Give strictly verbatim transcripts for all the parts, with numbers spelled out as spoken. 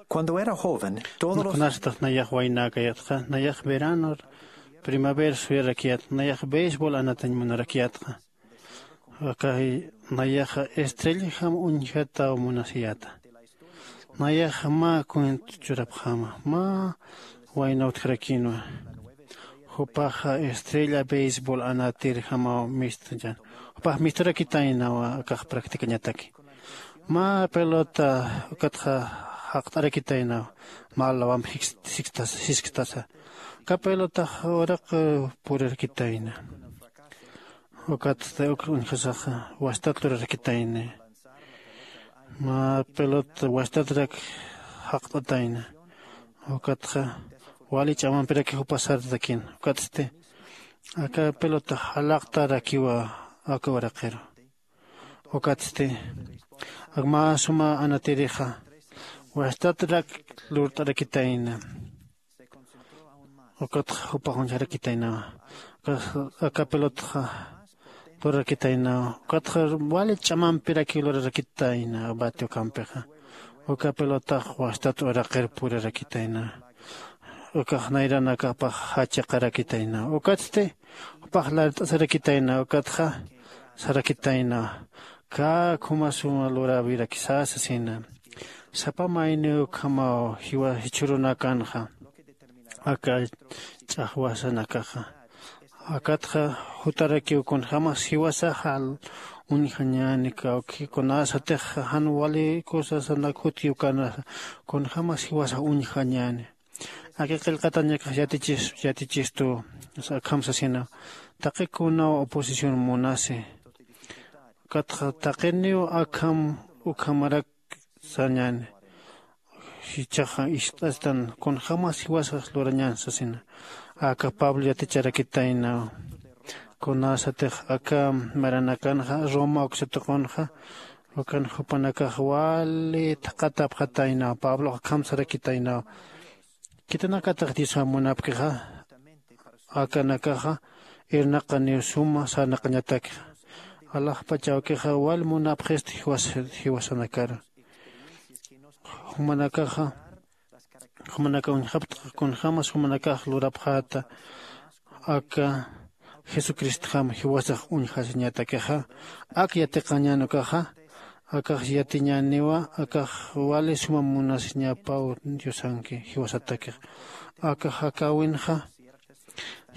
Cuando era joven, todos los... Kunasatix nayax waynäkayatxa, nayax veranor primavera suyarakyat, nayax beisbol anatañ munarakyatxa. Akay nayaxa estrelljam uñjataw munasiyäta. Nayax mä cuento churapxäma, mä wayna utjarakinwa. Jupaxa estrella beisbol anatirjamaw mistachan. Jupax misturakitaynawa akax practicañataki. Mä pelota ukatxa jaqt'arakitaynaw, mä lawamp jisktasa. Aka pelotax uraq purirakitayna. Ukatsti uk uñjasaxa wastat lurarakitayni. Mä pelota wastatrak jaqt'atayna. Ukatxa wali ch'amampiraki jupa sartakin. Ukatsti aka pelota jalaqtarakiwa aka uraqiru. Ukatsti ak mä suma anatirixa wastatrak lurt'arakitayna. Ukatxa jupax uñjarakitaynawa. Aka pelotxa lurarakitaynawa. Ukatxa wali ch'amampirakiw lurarakitayna bati ukampixa. Uka pelotax wastat uraqir purirakitayna. Ukax nayranakapax jachiqarakitayna. Ukatsti jupax lart'asarakitayna. Ukatxa sarakitayna, kä khuma suma luräwirakisa sasina. Sapa mayniw ukhamaw jiwa jichhürunakanxa aka ch'axwasanakaxa. Akatxa jutarakiw kunjämas jiwasaxa uñjañäni, kawki kunasatix jan wali cosasanak jutkiw kanasa kunjämas jiwasax uñjañäni. Aka qillqatañakax yatichistu, akham sasina, taqi kunaw oposición munasi. Ukatxa taqiniw akham ukhamarak sañäni. Jichhaxa ist'astan kunjämas jiwasax lurañän sasina. Aka pablo yaticharakitaynaw. Kunasatix aka maranakanxa roma uksatuqunxa, ukan jupanakax wali thaqatapxataynaw. Pablox akham sarakitaynaw, khitinakatix diosa munapkixa akanakaxa irnaqaniw suma sarnaqañatakxa. Alaxpach awkixa wal munapxisti jiwasanakaru. Jumanakaxa jumanaka uñjaptxa kunjämas jumanakax lurapxäta aka jesucristjam jiwasax uñjasiñatakixa. Ak yatiqañän ukaxa akax yatiñäniwa akax wali suma munasiñapaw diosanki jiwasatakixa. Akax akäwinxa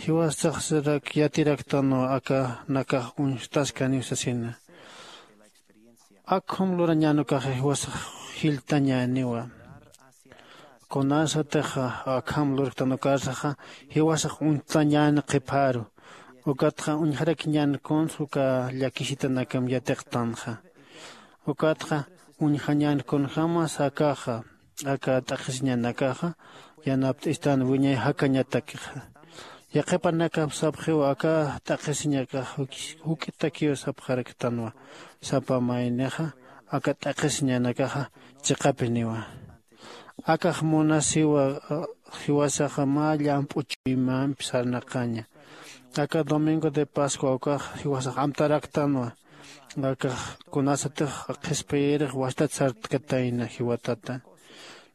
jiwasaxsirak yatiraktanwa akanakax uñstaskaniw sasina. Akham lurañän ukaxa jiwasax jilltañäniwa. Kunasatix akham lurktan ukarsaxa jiwasax uñstañän qhipharu. Ukatxa uñjarakiñän kuns uka llakisitanakam yatiqtanxa. Ukatxa uñjañän kunjämas akaxa aka t'aqhisiñanakaxa yanapt'istan wiñay jakañatakixa. Yaqhipanakap sapxiw aka t'aqhisiñakax juk'itakiw sapxaraktanwa. Sapa maynixa aka t'aqhisiñanakaxa chiqapiniwa. Akax munasiwa jiwasaxa mä llamp'u chuymampi sarnaqaña. Aka domingo de pascua ukax jiwasax amtaraktanwa. Akax kunasatix qhispiyirix wastat sartkatayna jiwatata.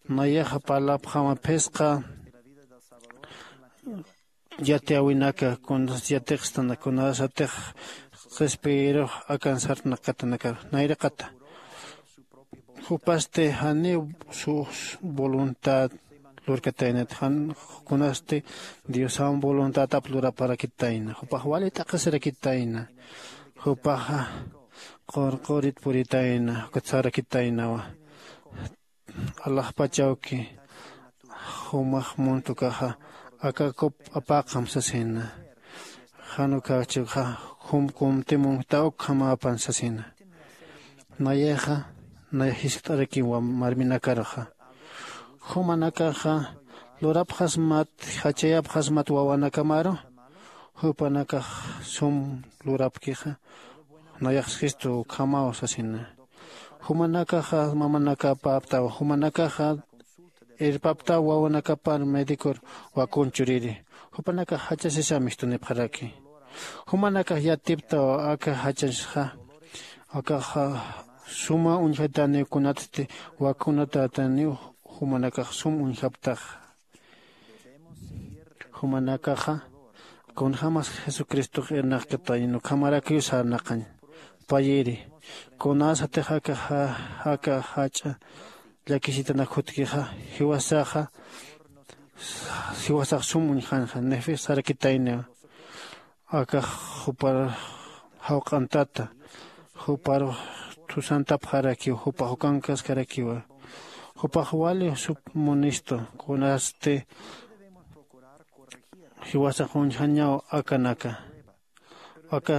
Nayaxa parlapxama phisqa yatiyäwinaka kunas yatiqstana kunasatix qhispiyirux akan sarnaqatanakar nayraqata. Jupasti janiw sus voluntad lurkataynat jan kunasti diosam voluntadap luraparakitayna jupax wali t'aqhisirakitayna. Jupaxa qurqurit puritayna ukat sarakitaynawa. Alaxpachawki jumax muntukaxa akakup apaqam sasina. Jan ukachixa jum kumti munkta ukhamapan sasina. Nayaxa nay jiskt'arakiw marminakaruxa. Jumanakaxa lurapxasmat jachayapxasmat wawanakamaru jupanakax sum lurapkixa nayaxskistu ukhamaw sasina. Jumanakaxa mamanakapäptaw jumanakaxa irpaptaw wawanakapar medicor wakun churiri. Jupanakax jachasisa mistunipxaraki. Jumanakax yatiptaw aka jachasxa akaxa suma uñjataniw kunatsti wakunatätaniw jumanakax sum uñjaptaxa. Jumanakaxa kunjämas jesucristox irnaqkatañan ukhamarakiw sarnaqañ. Payiri kunasatix aka jach'a llakisitanak jutkixa jiwasaxa jiwasax sum uñjanxa nefis sarakitayniwa. Akax jupar jawq'antata juparux thusantapxarakiw jupax ukankaskarakiwa. Jupax wali sup munistu kunasti jiwasax uñjañaw akanaka. Aka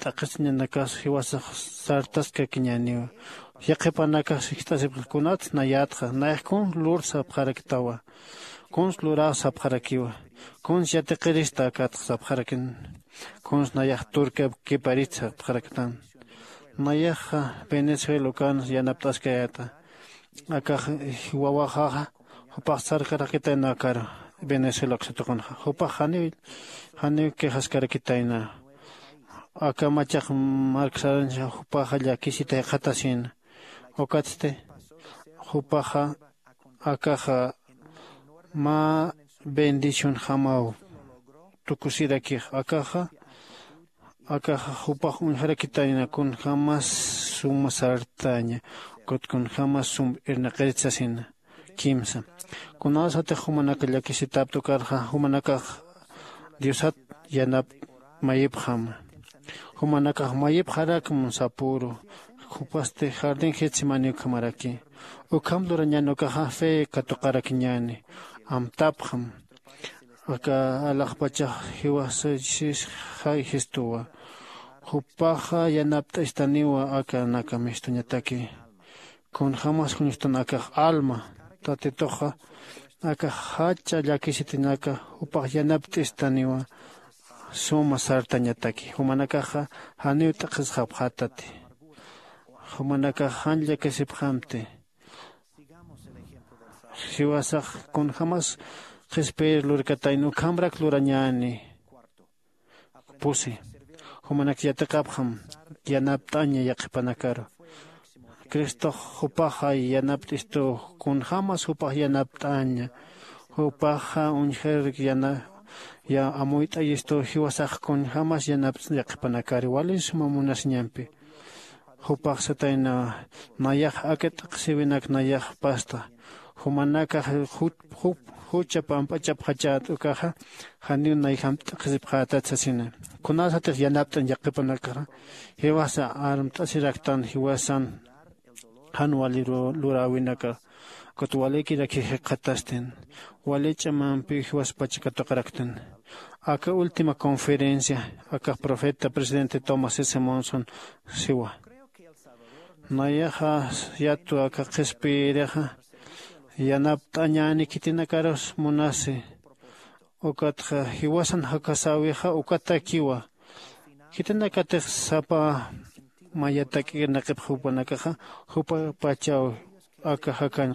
t'aqhisiñanakas jiwasax sartaskakiñäniwa. Yaqhipanakax jist'asipxi kunats nayätxa nayax kun lur sapxaraktawa. Kuns luräw sapxarakiwa. Kuns yatiqirista akatx sapxarakin. Kuns nayax turkap kiparit sapxaraktan. Nayaxa venezuela ukan yanapt'askayäta. Akax wawaxaxa jupax sarkarakitayna akar venezuela uksatuqunxa jupax janiw janiw quejaskarakitayna. Aka machaq marksarañsa jupaxa llakisita jikxatasïna. Ukatsti jupaxa akaxa mä bendicionjamaw tukusirakix akaxa akaxa jupax uñjarakitayna kunjämas suma sartaña ukat kunjämas sum irnaqirit sasina. Kimsa kunasatix jumanaka llakisitapta ukarxa jumanakax diosat yanap mayipxama. Jumanakax mayipxarakma sapüru jupasti jardín getsemani ukhamaraki. Ukham lurañäni ukaxa fe katuqarakiñäni. Amtapxam aka alaxpachax jiwasachis jay jistuwa. Jupaxa yanapt'istaniwa aka naka mistuñataki. Kunjämas juñustan akax alma tatituxa aka jach'a llakisitinaka jupax yanapt'istaniwa. Suma sartañataki jumanakaxa janiw t'aqhisxapxätati. Jumanakax jan llakisipxamti. Jiwasax kunjämas qhispiyir lurkatayna ukhamrak lurañäni. Pusi jumanak yatiqapxam yanapt'aña yaqhipanakaru. Cristox jupaxa yanapt'istuw kunjämas jupax yanapt'aña. Jupaxa uñjir yana amuyt'ayistuw jiwasax kunjämas yanapt'añ yaqhipanakari wali suma munasiñampi. Jupax satayna nayax aka t'aqhisiwinak nayax pasta jumanakax jucha pamp'achapxachät ukaxa janiw nayjamp t'aqhisipxätat sasina. Kunasatix yanapt'añ yaqhipanakaxa jiwasa armt'asiraktan jiwasan jan wali luräwinaka ukat walikiraki jikxatastin wali ch'amampiw jiwaspacha katuqaraktan. Aka última conferencia akax profeta presidente tomás s monson siwa. Nayaxa yatwa aka qhispiyirixa yanapt'añäni khitinakarus munasi. Ukatxa jiwasan jakasäwixa ukatakiwa. Khitinakatix sapa mayatak'irnaqipx jupanakaxa jupapachaw aka jakañ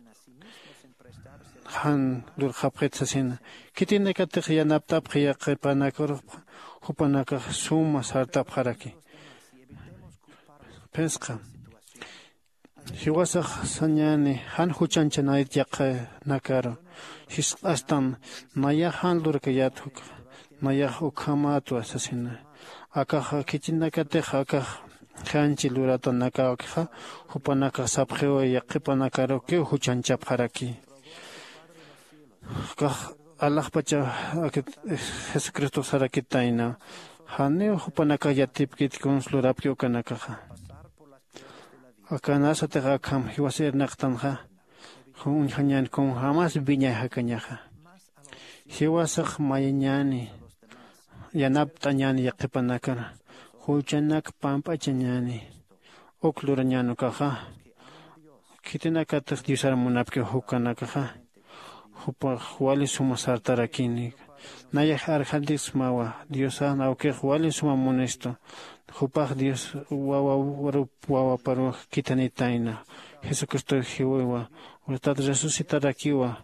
jan lurxapxit sasina. Khitinakatix yanapt'apxi yaqhipanakarux jupanakax suma sartapxaraki. Phisqa jiwasax sañäni jan juchanchanayt yaqhanakaru. Jisq'astan nayax jan lurkayät juk nayax ukhamätwa sasina. Akax khitinakatix akax janchi luratanakakixa jupanakax sapxiw yaqhipanakarukiw juchanchapxaraki. Kax alaxpacha jesucristox sarakitayna janiw jupanakax yatipkit kuns lurapki ukanakaxa. Akanasatix akham jiwasa irnaqtanxa uñjañän kunjämas wiñay jakañaxa. Jiwasax mayañäni yanapt'añäni yaqhipanakar juchanak pamp'achañäni. Uk lurañän ukaxa khitinakatix diosar munapkiw jukanakaxa jupax wali suma sartarakini. Nayax arjantiksmawa diosan awkix wali suma munistu. Jupax dios wawarup wawaparuw khithanitayna. Jesucristow jiwiwa. Utat resucitarakiwa.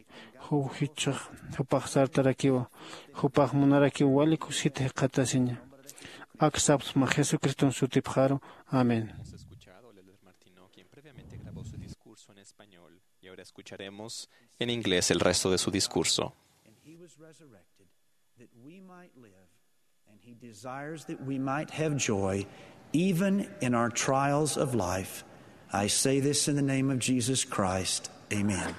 Jupax sartarakiwa. Jupax munarakiw wali kusit jikxatasiña. Ak sapsma jesucriston sutipxaru. Amén. En español, y ahora escucharemos en inglés el resto de su discurso. And he was resurrected that we might live, and he desires that we might have joy even in our trials of life. I say this in the name of Jesus Christ. Amen.